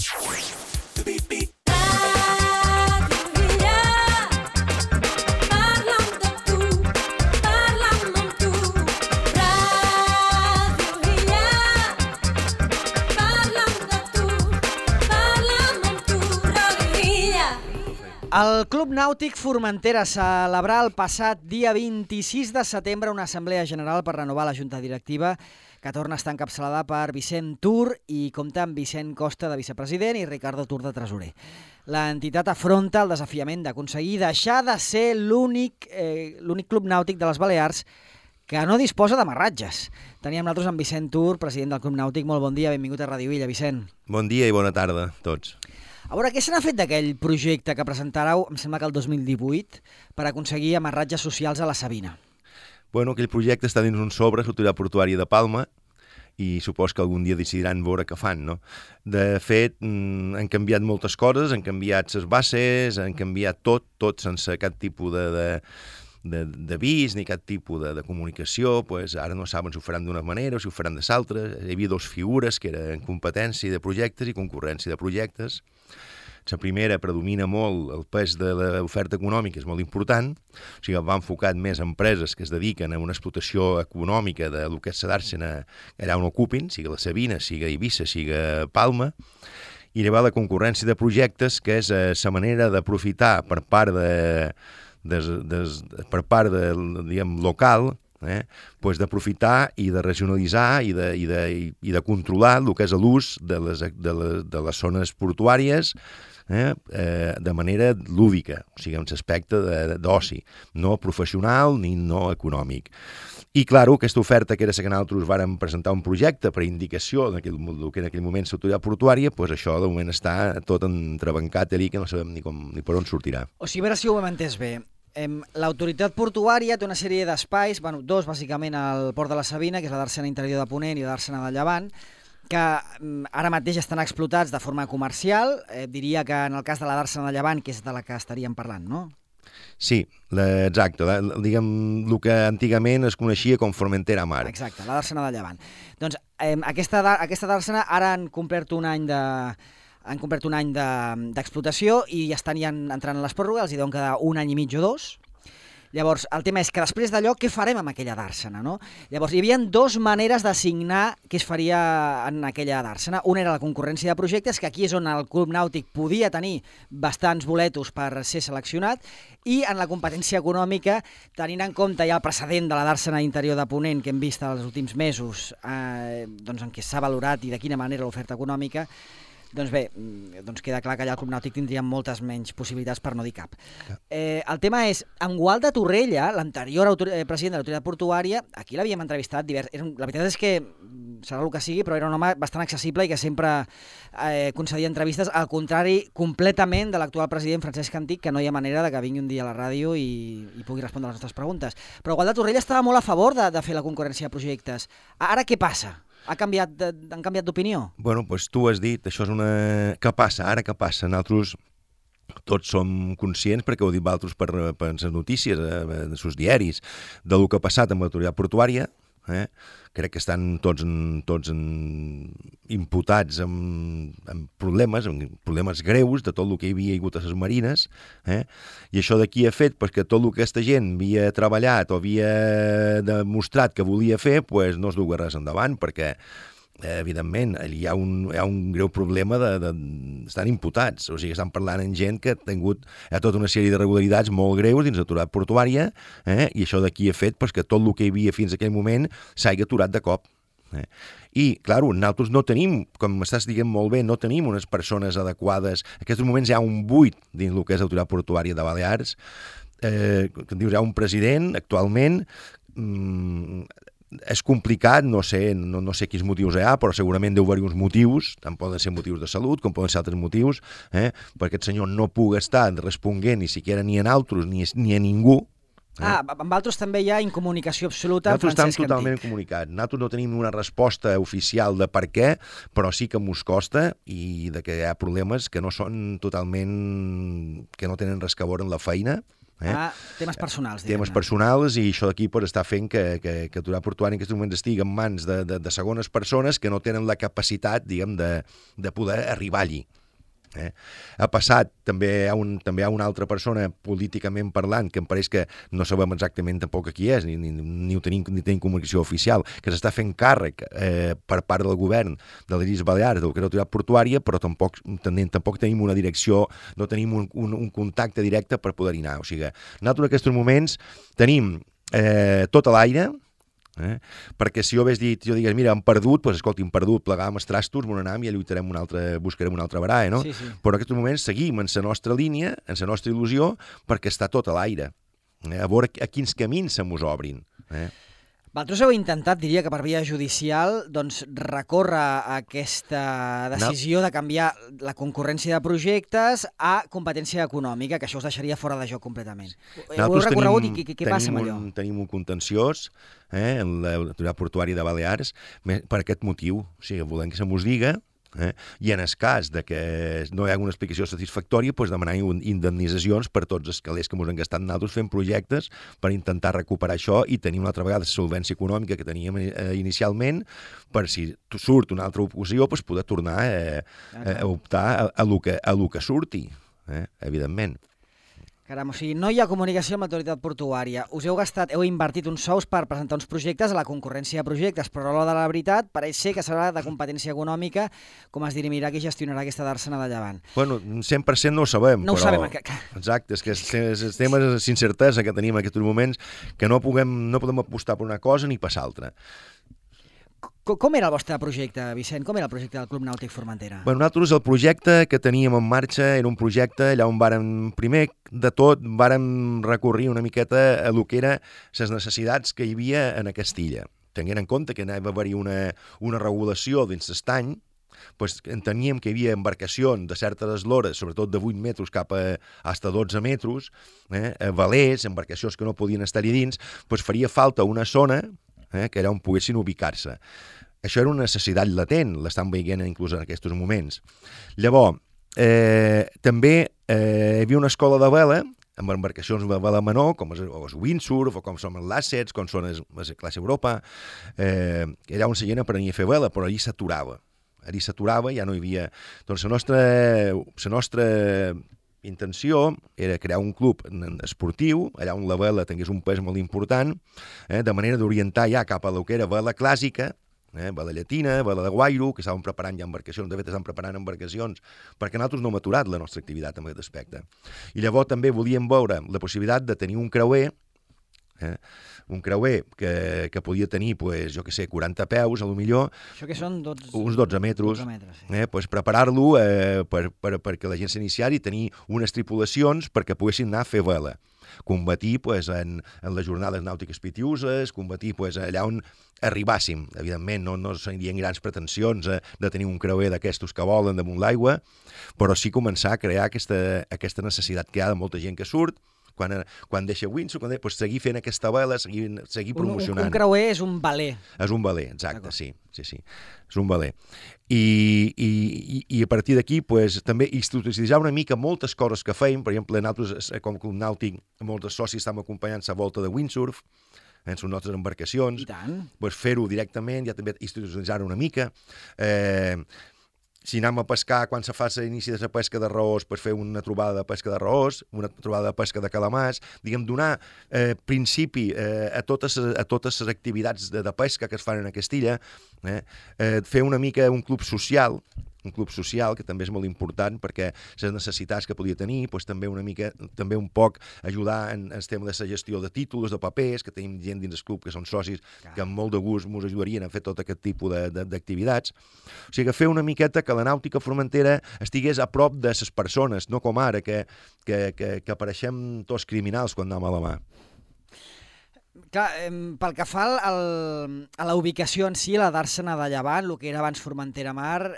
El Club Nàutic Formentera celebrà el passat dia 26 de setembre una assemblea general per renovar la junta directiva que torna a estar encapçalada per Vicent Tur i compta amb Vicent Costa de vicepresident i Ricardo Tur de tresorer. L'entitat afronta el desafiament d'aconseguir deixar de ser l'únic club nàutic de les Balears que no disposa d'amarratges. Teníem nosaltres amb Vicent Tur, president del Club Nàutic. Molt bon dia, benvingut a Ràdio Illa, Vicent. Bon dia i bona tarda a tots. A veure, què se n'ha fet d'aquell projecte que presentareu, em sembla que el 2018, per aconseguir amarratges socials a la Sabina? Bueno, aquell projecte està dins un sobre, l'Autoritat Portuària de Palma, i supos que algun dia decidiran veure què fan, no? De fet, han canviat moltes coses, han canviat les bases, han canviat tot sense cap tipus d'avís ni cap tipus de comunicació. Pues ara no saben si ho faran d'una manera o si ho faran de l'altra. Hi havia dues figures, que eren competència de projectes i concurrència de projectes. La primera predomina molt, el pes de l'oferta econòmica és molt important, o sigui, va enfocat més a empreses que es dediquen a una explotació econòmica de lo que és la dàrsena allà on ocupin, sigui la Sabina, sigui Eivissa, sigui Palma, i llavors la concurrència de projectes, que és la manera d'aprofitar per part diguem, local, pues d'aprofitar i de regionalitzar i de controlar el que és l'ús de les zones portuàries de manera lúdica, o sigui, en l'aspecte d'oci, no professional ni no econòmic. I, clar, aquesta oferta, que era la que nosaltres vàrem presentar un projecte per indicació del que en aquell moment l'autoritat portuària, doncs això de moment està tot entrebancat allí, que no sabem ni per on sortirà. O sigui, a veure si ho hem entès bé. L'autoritat portuària té una sèrie d'espais, dos bàsicament al Port de la Sabina, que és la d'Àrsena Interior de Ponent i la d'Àrsena de Llevant, que ara mateix estan explotats de forma comercial. Diria que en el cas de la d'Àrsena de Llevant, que és de la que estaríem parlant, no? Sí, exacte. Diguem, el que antigament es coneixia com Formentera Mar. Exacte, la d'Àrsena de Llevant. Doncs aquesta d'Àrsena ara han complert un any d'explotació i ja estan entrant a les pròrrogues, els hi deuen quedar un any i mig o dos. Llavors, el tema és que després d'allò, què farem amb aquella d'Àrsena, no? Llavors, hi havia dues maneres d'assignar què es faria en aquella d'Àrsena. Una era la concurrència de projectes, que aquí és on el Club Nàutic podia tenir bastants boletos per ser seleccionat, i en la competència econòmica, tenint en compte ja el precedent de la d'Àrsena Interior de Ponent que hem vist els últims mesos, en què s'ha valorat i de quina manera l'oferta econòmica, doncs bé, queda clar que allà el Club Nàutic tindria moltes menys possibilitats, per no dir cap. El tema és, en Gualda Torrella, l'anterior president de l'autoritat portuària, aquí l'havíem entrevistat divers. La veritat és que serà el que sigui, però era un home bastant accessible i que sempre concedia entrevistes, al contrari completament de l'actual president Francesc Antic, que no hi ha manera de que vingui un dia a la ràdio i pugui respondre a les nostres preguntes. Però Gualda Torrella estava molt a favor de fer la concurrència de projectes. Ara què passa? Han canviat d'opinió? Bueno, doncs tu has dit, això és una... Què passa? Ara què passa? Nosaltres tots som conscients, perquè ho heu dit vosaltres per les notícies, els diaris, del que ha passat amb l'autoritat portuària. Crec que estan tots imputats amb problemes greus de tot el que hi havia hagut a les marines, i això d'aquí ha fet que tot el que aquesta gent havia treballat o havia demostrat que volia fer no es duga res endavant, perquè evidentment, hi ha un greu problema estan imputats, o sigui, estan parlant amb gent que ha tingut tota una sèrie d'irregularitats molt greus dins l'autoritat portuària, i això d'aquí ha fet que tot el que hi havia fins a aquell moment s'hagi aturat de cop. I, clar, nosaltres no tenim, com m'estàs dient molt bé, no tenim unes persones adequades. En aquests moments hi ha un buit dins el que és l'autoritat portuària de Balears, hi ha un president actualment. És complicat, no sé quins motius hi ha, però segurament deu haver uns motius, tant poden ser motius de salut com poden ser altres motius, perquè aquest senyor no pugui estar responent ni siquiera ni a altres ni a ningú. Amb altres també hi ha incomunicació absoluta amb Francesc Antic. Nosaltres estem totalment incomunicats. Nosaltres no tenim una resposta oficial de per què, però sí que mos costa i que hi ha problemes que no són totalment... que no tenen res a veure amb la feina, Temes personals. Temes personals, i això d'aquí està fent que Autoridad Portuària en aquests moments estigui en mans de segones persones que no tenen la capacitat, diguem, de poder arribar allí. Ha passat, també hi ha una altra persona políticament parlant, que em pareix que no sabem exactament tampoc qui és, ni tenim comunicació oficial, que s'està fent càrrec per part del govern de les Illes Balears, del que és l'Autoritat Portuària, però tampoc tenim una direcció, no tenim un contacte directe per poder-hi anar. O sigui, nosaltres en aquests moments tenim tot a l'aire, perquè si jo digués, mira, hem perdut, doncs escolti, hem perdut, plegàvem els trastos, m'on anam i buscarem una altra vegada, no? Sí. Però en aquests moments seguim en la nostra línia, en la nostra il·lusió, perquè està tot a l'aire. A veure a quins camins se mos obrin. Vosaltres heu intentat, diria que per via judicial, doncs recórrer aquesta decisió de canviar la concurrència de projectes a competència econòmica, que això us deixaria fora de joc completament. Ho heu recorregut i què passa amb allò? Tenim un contenciós en l'Autoritat Portuària de Balears per aquest motiu. O sigui, volem que se mos diga, i en el cas de que no hi ha una explicació satisfactòria, doncs demanar indemnitzacions per tots els calés que ens han gastat nosaltres fent projectes per intentar recuperar això i tenir una altra vegada la solvència econòmica que teníem inicialment, per si surt una altra oposició, doncs poder tornar a optar a lo que surti, evidentment. Caram, o sigui, no hi ha comunicació amb l'autoritat portuària. Heu invertit uns sous per presentar uns projectes a la concurrència de projectes, però a l'hora de la veritat pareix ser que serà de competència econòmica, com es dirimirà qui gestionarà aquesta dàrsena de Llevant. Bueno, 100% no ho sabem. No ho sabem. Exacte, és que els temes d'incertesa que tenim en aquests moments, que no podem apostar per una cosa ni per l'altra. Com era el vostre projecte, Vicent? Com era el projecte del Club Nàutic Formentera? Bé, nosaltres el projecte que teníem en marxa era un projecte allà on primer de tot vàrem recórrer una miqueta a lo que eren les necessitats que hi havia en aquesta illa. Tenint en compte que anava a haver-hi una regulació dins l'estany, doncs enteníem que hi havia embarcacions de certes eslores, sobretot de 8 metres cap a hasta 12 metres, velers, embarcacions que no podien estar-hi dins, doncs faria falta una zona que era on poguessin ubicar-se. Això era una necessitat latent, l'estan veient inclús en aquests moments. Llavors, també hi havia una escola de vela, amb embarcacions de vela menor, com el windsurf, o com són els làssets, com són les classe Europa, allà on la gent aprenia a fer vela, però allí s'aturava. Ja no hi havia... Doncs la nostra intenció era crear un club esportiu, allà on la vela tingués un pes molt important, de manera d'orientar ja cap a lo que era vela clàssica, vela llatina, vela de guairo, que estaven preparant ja embarcacions, de fet estan preparant embarcacions, perquè nosaltres no hem aturat la nostra activitat en aquest aspecte. I llavors també volíem veure la possibilitat de tenir un creuer, que podia tenir, pues, jo què sé, 40 peus, a lo millor. Això que són uns 12 metres. Sí. Pues preparar-lo perquè la gent s'iniciari i tenir unes tripulacions perquè poguessin anar a fer vela. Combatir pues, en les jornades nàutiques pitiuses, combatir pues, allà on arribàssim. Evidentment, no serien grans pretensions de tenir un creuer d'aquestos que volen damunt l'aigua, però sí començar a crear aquesta necessitat que hi ha de molta gent que surt, quan deixa windsurf, pues, seguir fent aquesta vela, seguir promocionant. Un creuer és un veler. És un veler, exacte, sí. És un veler. I a partir d'aquí, pues, també institucionalitzar una mica moltes coses que feim. Per exemple, nosaltres, com a Club Nàutic, molts socis estem acompanyant la volta de windsurf, en les nostres embarcacions. I tant. Pues, fer-ho directament, ja també institucionalitzar-ho una mica. Si anem a pescar, quan se fa l'inici de la pesca de raós, pues fer una trobada de pesca de raós, una trobada de pesca de calamars, diguem, donar principi a totes les activitats de pesca que es fan en aquesta illa, fer una mica un club social, que també és molt important perquè les necessitats que podia tenir, doncs també un poc ajudar en el tema de la gestió de títols, de papers, que tenim gent dins el club que són socis que amb molt de gust ens ajudarien a fer tot aquest tipus d'activitats. O sigui, fer una miqueta que la nàutica formentera estigués a prop de les persones, no com ara, que apareixem tots criminals quan anem a la mà. Clar, pel que fa a la ubicació en si, la dàrsena de Llevant, el que era abans Formentera Mar,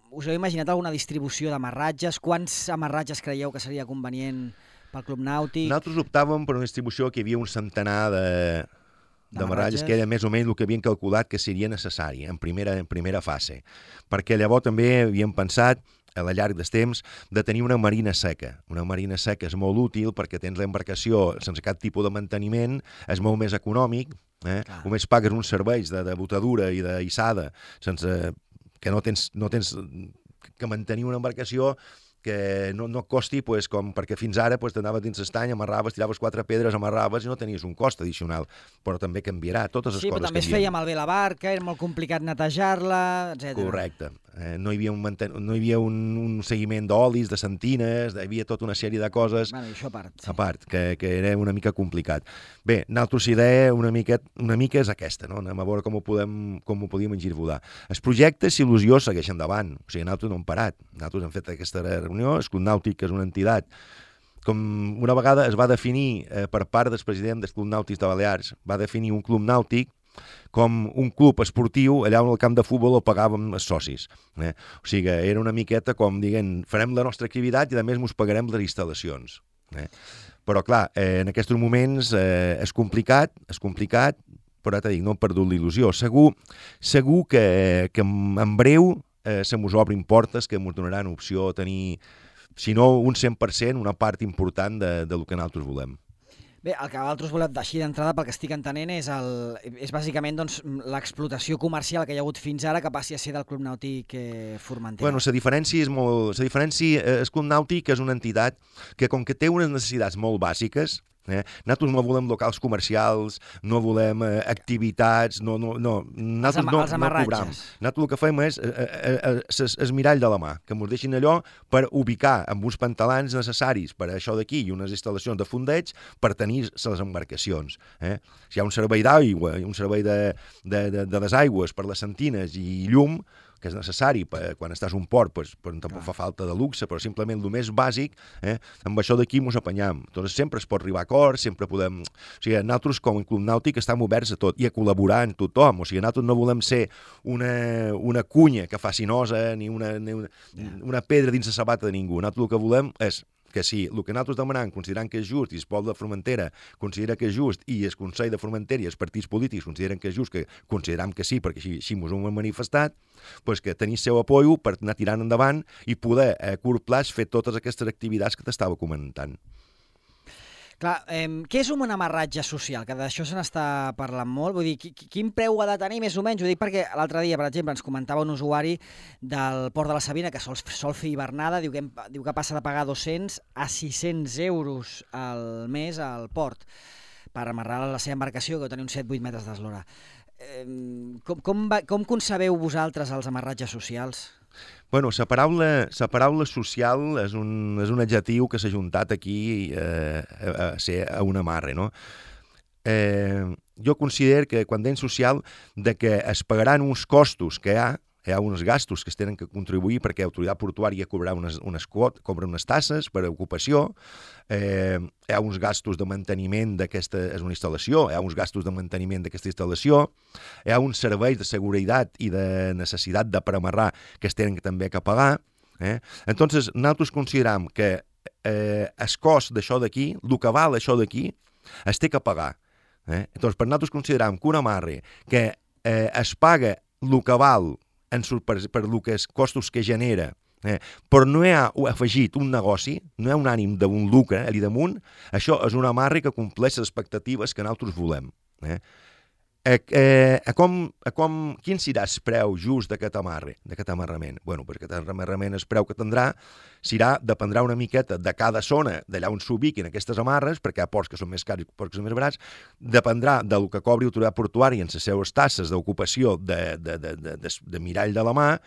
us heu imaginat alguna distribució d'amarratges? Quants amarratges creieu que seria convenient pel Club Nàutic? Nosaltres optàvem per una distribució que hi havia un centenar d'amarratges, que era més o menys el que havien calculat que seria necessari en primera fase. Perquè llavors també havíem pensat a la llarg del temps, de tenir una marina seca. Una marina seca és molt útil perquè tens l'embarcació sense cap tipus de manteniment, és molt més econòmic, només pagues uns serveis de botadura i d'hissada sense que no tens que mantenir una embarcació que no et costi, com perquè fins ara t'anaves dins l'estany, amarraves, tiraves 4 pedres, amarraves i no tenies un cost addicional, però també canviarà, totes les coses canvien. Sí, però també es feia malbé la barca, era molt complicat netejar-la, etc. Correcte. No hi havia un seguiment d'olis, de sentines, hi havia tota una sèrie de coses això a part que era una mica complicat. Bé, nosaltres idea una mica és aquesta, no? Anem a veure com ho podíem engirvolar. El projecte, si il·lusió, segueix endavant. O sigui, nosaltres no hem parat. Nosaltres hem fet aquesta reunió, el Club Nàutic és una entitat com una vegada es va definir per part del president del Club Nàutic de Balears, va definir un club nàutic com un club esportiu allà on el camp de futbol el pagàvem els socis. O sigui, era una miqueta com dient, farem la nostra activitat i a més ens pagarem les instal·lacions. Però clar, en aquests moments és complicat, però t'he dit, no hem perdut l'il·lusió. Segur que en breu se mos obrin portes que ens donaran opció a tenir, si no un 100%, una part important del que nosaltres volem. Bé, el que vosaltres voleu així d'entrada, pel que estic entenent, és bàsicament l'explotació comercial que hi ha hagut fins ara que passi a ser del Club Nàutic Formentera. Bueno, la diferència és molt... El Club Nàutic és una entitat que, com que té unes necessitats molt bàsiques, nosaltres no volem locals comercials, no volem activitats, nosaltres no cobram. Nosaltres el que fem és el mirall de la mà, que ens deixin allò per ubicar amb uns pantalans necessaris per això d'aquí i unes instal·lacions de fondeig per tenir les embarcacions. Si hi ha un servei d'aigua i un servei de desaigües per les sentines i llum, que és necessari quan estàs a un port, tampoc fa falta de luxe, però simplement el més bàsic, amb això d'aquí ens apanyam. Doncs sempre es pot arribar a acords, sempre podem... O sigui, nosaltres com a Club Nàutic estem oberts a tot i a col·laborar amb tothom. O sigui, nosaltres no volem ser una cunya que faci nosa ni una pedra dins la sabata de ningú. Nosaltres el que volem és que si el que nosaltres demanem, considerant que és just, i el poble de Formentera considera que és just, i el Consell de Formentera i els partits polítics consideren que és just, que consideram que sí, perquè així ens ho hem manifestat, que tenir seu apoio per anar tirant endavant i poder a curt plaç fer totes aquestes activitats que t'estava comentant. Clar, què és un amarratge social? Que d'això se n'està parlant molt. Vull dir, quin preu ha de tenir, més o menys? Ho dic perquè l'altre dia, per exemple, ens comentava un usuari del Port de la Sabina que sol fer hivernada, diu que passa de pagar 200 a 600 euros al mes al port per amarrar la seva embarcació, que deu tenir uns 7-8 metres d'eslora. Com concebeu vosaltres els amarratges socials? Bueno, la paraula social és un adjectiu que s'ha juntat aquí a ser a un amarre, no? Jo considero que quan dèiem social de que es pagaran uns costos que hi ha uns gastos que es tenen que contribuir perquè l'autoritat portuària cobrarà cobra unes tasses per a ocupació, hi ha uns gastos de manteniment d'aquesta és una instal·lació, hi ha uns gastos de manteniment d'aquesta instal·lació, hi ha uns serveis de seguretat i de necessitat de premarrar que es tenen també que pagar. Entonces, nosaltres consideram que el cost d'això d'aquí, el que val això d'aquí, es té que pagar. Entonces, per nosaltres consideram que un amarre que es paga el que val per els costos que genera, però no hi ha afegit un negoci, no hi ha un ànim d'un lucre allà damunt, això és un amarre que compleix les expectatives que nosaltres volem. Quin serà el preu just d'aquest amarrament? Bueno, perquè aquest amarrament, el preu que tindrà, dependrà una miqueta de cada zona, d'allà on s'ubiquin aquestes amarres, perquè hi ha ports que són més cars i ports que són més barats, dependrà del que cobri l'autoritat portuària en les seves tasses d'ocupació de mirall de la mà,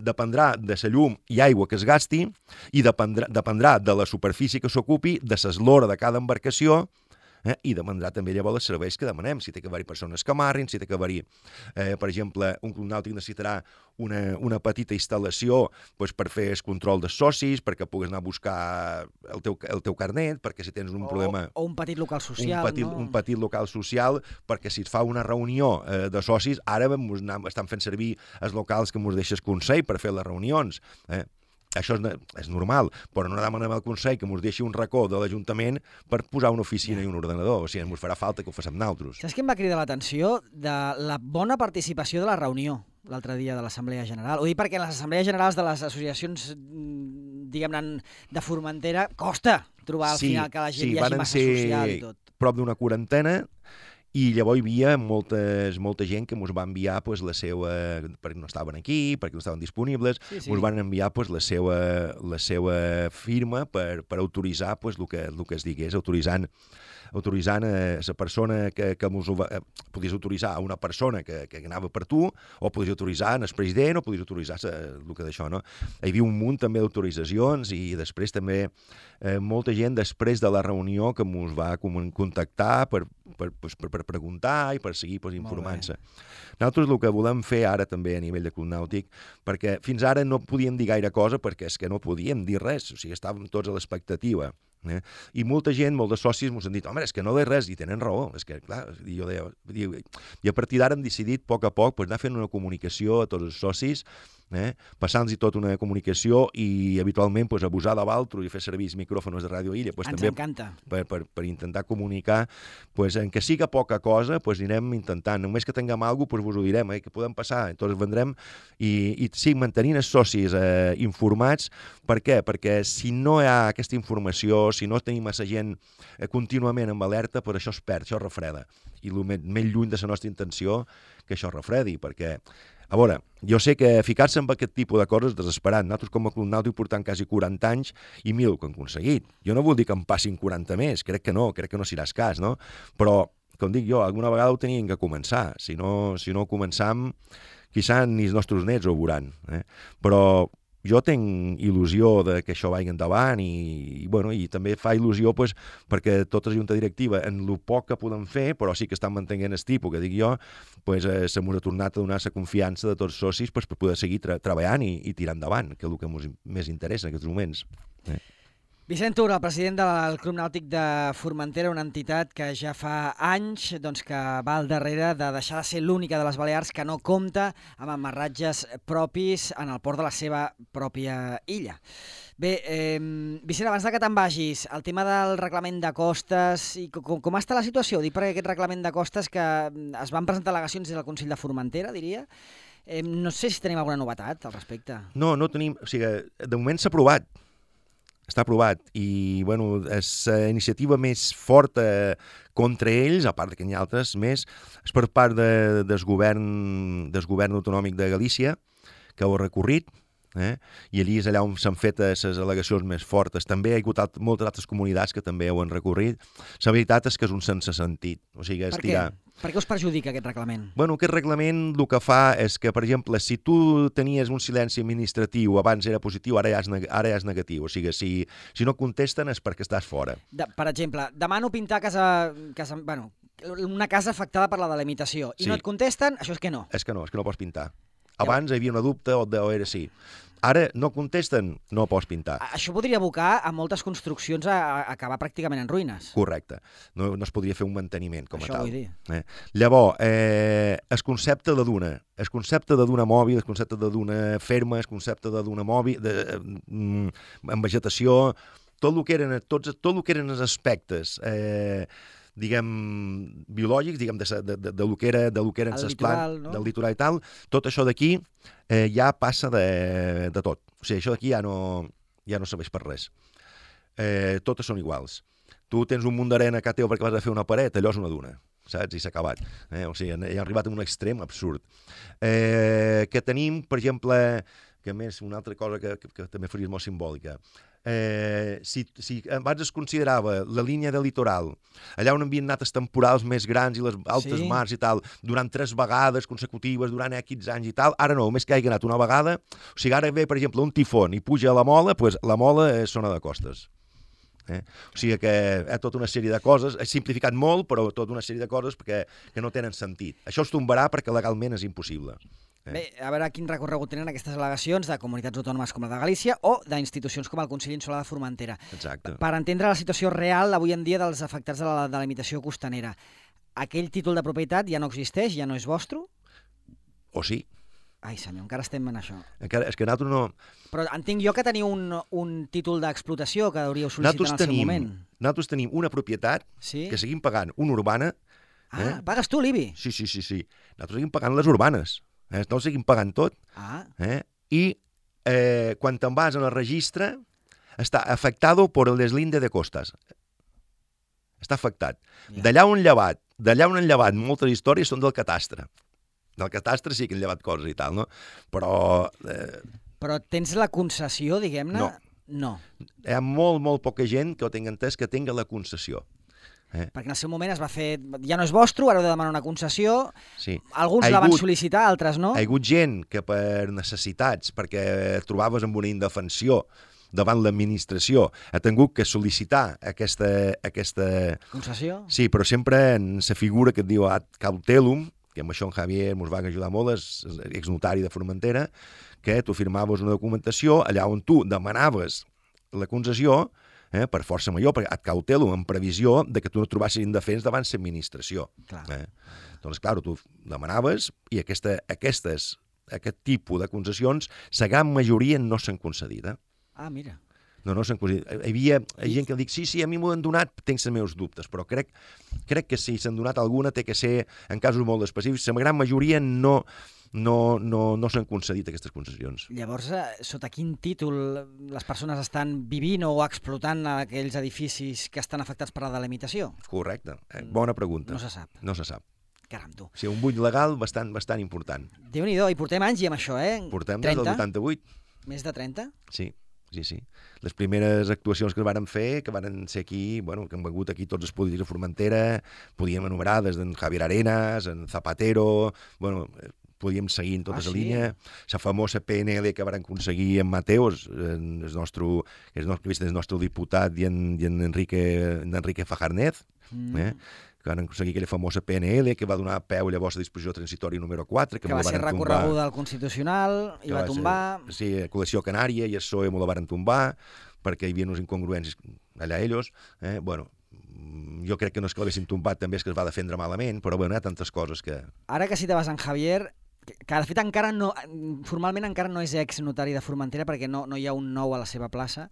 dependrà de la llum i aigua que es gasti i dependrà de la superfície que s'ocupi, de l'eslora de cada embarcació, i dependrà també llavors els serveis que demanem, si té que haver-hi persones que amarrin, si té que haver-hi, per exemple, un club nàutic necessitarà una petita instal·lació per fer el control dels socis, perquè puguis anar a buscar el teu carnet, perquè si tens un problema... O un petit local social, un petit local social, perquè si es fa una reunió de socis, ara estan fent servir els locals que ens deixa el Consell per fer les reunions, Això és normal, però no demanem al Consell que ens deixi un racó de l'Ajuntament per posar una oficina i un ordenador. O sigui, ens farà falta que ho facem nosaltres. Saps què em va cridar l'atenció? De la bona participació de la reunió. l'altre dia de l'Assemblea General. Ho dic perquè en les Assemblees Generals de les associacions, diguem-ne, de Formentera, costa trobar al final que la gent hi hagi massa social i tot. Prop d'una quarantena, i llavors hi havia molta gent que ens va enviar pues, la seva... perquè no estaven aquí, perquè no estaven disponibles, ens van enviar pues, la seva firma per autoritzar pues, el que es digués, autoritzant a la persona que podies autoritzar a una persona que anava per tu, o podies autoritzar el president, o podies autoritzar el que d'això, no? Hi havia un munt també d'autoritzacions, i després també molta gent després de la reunió que ens va contactar per preguntar i per seguir informant-se. Nosaltres el que volem fer ara també a nivell de Club Nàutic, perquè fins ara no podíem dir gaire cosa perquè és que no podíem dir res, o sigui, estàvem tots a l'expectativa. I molta gent, molts de socis ens han dit, home, és que no ve res, i tenen raó, és que, clar, jo deia, i a partir d'ara hem decidit a poc anar fent una comunicació a tots els socis, passant-los tota una comunicació i habitualment abusar de l'altre i fer servir els micròfons de Ràdio Illa també per intentar comunicar en que siga poca cosa anirem intentant, només que tinguem alguna cosa vos ho direm, que podem passar, tots vendrem i sí, mantenint els socis informats. Per què? Perquè si no hi ha aquesta informació, si no tenim massa gent contínuament amb alerta, això es perd, això es refreda, i el més lluny de la nostra intenció que això es refredi, perquè a veure, jo sé que ficar-se en aquest tipus de coses és desesperant. Nosaltres com a Club Nàutic portant quasi 40 anys i 1.000 que hem aconseguit. Jo no vull dir que em passin 40 més, crec que no seràs cas, no? Però, com dic jo, alguna vegada ho teníem que començar. Si no ho començam, quizà ni els nostres nets ho veuran. Però jo tinc il·lusió de que això vagi endavant i també fa il·lusió perquè tota la junta directiva, en el poc que podem fer, però sí que estan mantenint el tipus, que dic jo, se m'ha tornat a donar la confiança de tots els socis per poder seguir treballant i tirar endavant, que és el que més interessa en aquests moments. Vicent Tura, el president del Club Nàutic de Formentera, una entitat que ja fa anys que va al darrere de deixar de ser l'única de les Balears que no compta amb amarratges propis en el port de la seva pròpia illa. Bé, Vicent, abans que te'n vagis, el tema del reglament de costes, i com està la situació? Dic perquè aquest reglament de costes que es van presentar al·legacions des del Consell de Formentera, diria. No sé si tenim alguna novetat al respecte. No tenim, o sigui, de moment s'ha aprovat. Està aprovat i, és la iniciativa més forta contra ells, a part que hi ha altres més, és per part del govern autonòmic de Galícia, que ho ha recorrit, i allí és allà on s'han fet les al·legacions més fortes. També hi ha hagut moltes altres comunitats que també ho han recorrit. La veritat és que és un sense sentit. O sigui, per què? Per què us perjudica aquest reglament? Aquest reglament el que fa és que, per exemple, si tu tenies un silenci administratiu, abans era positiu, ara ja és negatiu. O sigui, si no contesten és perquè estàs fora. Per exemple, demano pintar una casa afectada per la delimitació i no et contesten, això és que no. És que no pots pintar. Abans hi havia una dubte o era sí. Ara no contesten, no pots pintar. Això podria abocar a moltes construccions a acabar pràcticament en ruïnes. Correcte. No es podria fer un manteniment com a tal. Això vull dir. Llavors, el concepte de duna, el concepte de duna mòbil, el concepte de duna ferma, el concepte de duna mòbil, amb vegetació, tot el que eren els aspectes diguem, biològics, diguem, de lo que eren les plantes, del litoral i tal, tot això d'aquí ja passa de tot. O sigui, això d'aquí ja no serveix per res. Totes són iguals. Tu tens un munt d'arena a casa teu perquè vas a fer una paret, allò és una duna, saps? I s'ha acabat. O sigui, ja ha arribat a un extrem absurd. Que tenim, per exemple, que a més, una altra cosa que també faria molt simbòlica, si abans es considerava la línia de litoral, allà on havien anat els temporals més grans i les altes mars i tal, durant 3 vegades consecutives, durant X anys i tal, ara no, només que hagi anat una vegada, o sigui, ara ve, per exemple, un tifón i puja a la Mola, doncs la Mola és zona de costes. O sigui que hi ha tota una sèrie de coses, he simplificat molt, però tota una sèrie de coses que no tenen sentit. Això es tombarà perquè legalment és impossible. Bé, a veure quin recorregut tenen aquestes al·legacions de comunitats autònomes com la de Galícia o d'institucions com el Consell Insular de Formentera. Exacte. Per entendre la situació real avui en dia dels afectats de la delimitació costanera, aquell títol de propietat ja no existeix, ja no és vostre? O sí. Ai, senyor, encara estem en això. Encara, és que nosaltres no... Però entenc jo que teniu un títol d'explotació que hauríeu sol·licitar en el seu moment. Nosaltres tenim una propietat que seguim pagant una urbana. Pagues tu l'IBI? Sí. Nosaltres seguim pagant les urbanes. No seguim pagant tot. I quan te'n vas en el registre, està afectado por el deslinde de costas. Està afectat. D'allà on han llevat moltes històries són del catastre. Del catastre sí que han llevat coses i tal, no? Però tens la concessió, diguem-ne? No. Hi ha molt poca gent que ho tingui entès que tinga la concessió. Perquè en el seu moment es va fer... Ja no és vostre, ara heu de demanar una concessió. Sí. Alguns la van sol·licitar, altres no. Hi ha hagut gent que per necessitats, perquè et trobaves amb una indefensió davant l'administració, ha tingut que sol·licitar aquesta... Concessió? Sí, però sempre en la figura que et diu ad cautelum, que amb això en Javier ens va ajudar molt, és exnotari de Formentera, que tu firmaves una documentació allà on tu demanaves la concessió per força major, perquè ad cautelum, en previsió de que tu no trobassis indefens davant l'administració. Doncs, clar, tu demanaves i aquest tipus de concessions, la gran majoria no s'han concedit. Ah, mira. No s'han concedit. Hi havia gent que dic, sí, a mi m'ho han donat, tinc els meus dubtes, però crec que si s'han donat alguna té que ser en casos molt específics. La gran majoria no s'han concedit aquestes concessions. Llavors, sota quin títol les persones estan vivint o explotant aquells edificis que estan afectats per la delimitació? Correcte. Bona pregunta. No se sap. No se sap. Caram, tu. O sigui, un buit legal bastant important. Déu-n'hi-do, i portem anys i amb això, Portem des del 88. Més de 30? Sí. Les primeres actuacions que varen fer, que varen ser aquí, que han vengut aquí tots els polítics de Formentera, podíem enumerar des d'en Javier Arenas, en Zapatero, podíem seguir en tota la línia. La famosa PNL que varen aconseguir en Mateos, el nostre diputat i en Enrique Fajarnez, que van aconseguir aquella famosa PNL que va donar peu llavors a disposició transitòria número 4. Que va ser recorreguda al Constitucional i va tombar. Sí, a Coalició Canària i el PSOE m'ho la van tombar perquè hi havia unes incongruències allà ells. Jo crec que no és que l'haguessin tombat, també és que es va defendre malament, però hi ha tantes coses que... Ara que citaves en Javier, que de fet encara no, formalment encara no és exnotari de Formentera perquè no hi ha un nou a la seva plaça,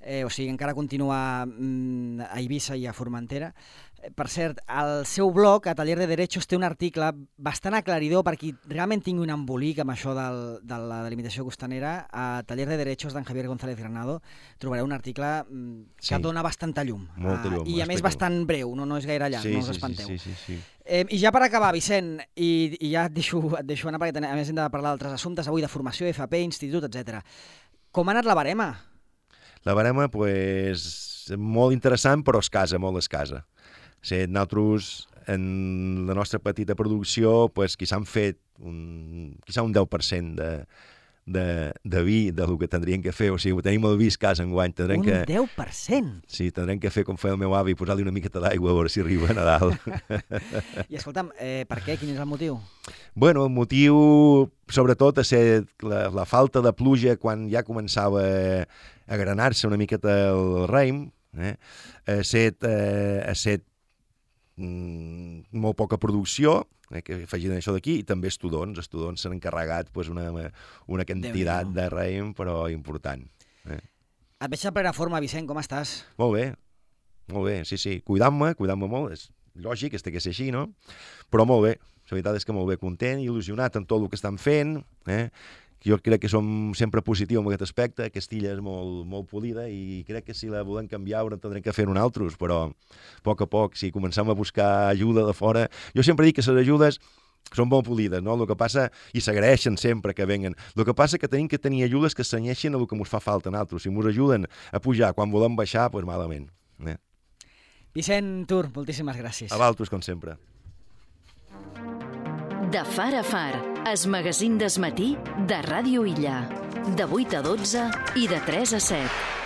o sigui, encara continua a Eivissa i a Formentera. Per cert, al seu blog, a Taller de Derechos, té un article bastant aclaridor per qui realment tingui un embolic amb això de la delimitació costanera. A Taller de Derechos d'en Javier González Granado trobareu un article que dona bastanta llum. Molta llum. I a més bastant breu, no és gaire llarg, no us espanteu. Sí. I ja per acabar, Vicent, i ja et deixo anar perquè a més hem de parlar d'altres assumptes avui de formació, FP, institut, etc. Com ha anat la barema? La barema, molt interessant, però molt escassa. Nosaltres, en la nostra petita producció, quizà han fet un 10% de vi del que tindrien que fer. O sigui, tenim el vi escàs enguany. Un 10%? Sí, tindrem que fer com feia el meu avi, posar-li una miqueta d'aigua a veure si arriba a Nadal. I escolta'm, per què? Quin és el motiu? Bueno, el motiu, sobretot, ha set la falta de pluja quan ja començava a granar-se una miqueta el raïm. Ha set molt poca producció, que afegint això d'aquí, i també estudons. Estudons s'han encarregat una quantitat de raïm, però important. Et veig en plena forma, Vicent, com estàs? Molt bé, sí. Cuidant-me molt, és lògic, té que ser així, no? Però molt bé, la veritat és que molt bé, content, il·lusionat amb tot el que estan fent, Jo crec que som sempre positius en aquest aspecte. Castilla és molt polida i crec que si la volem canviar haurem que fer nosaltres, però a poc, si comencem a buscar ajuda de fora... Jo sempre dic que les ajudes són molt polides, no? El que passa, i s'agraeixen sempre que venguen. El que passa que tenim que tenir ajudes que s'anyeixin a el que ens fa falta a nosaltres. Si ens ajuden a pujar quan volem baixar, doncs malament. Vicent Tur, moltíssimes gràcies. A vosaltres, com sempre. De far a far, es magazín d'esmatí de Ràdio Illa. De 8 a 12 i de 3 a 7.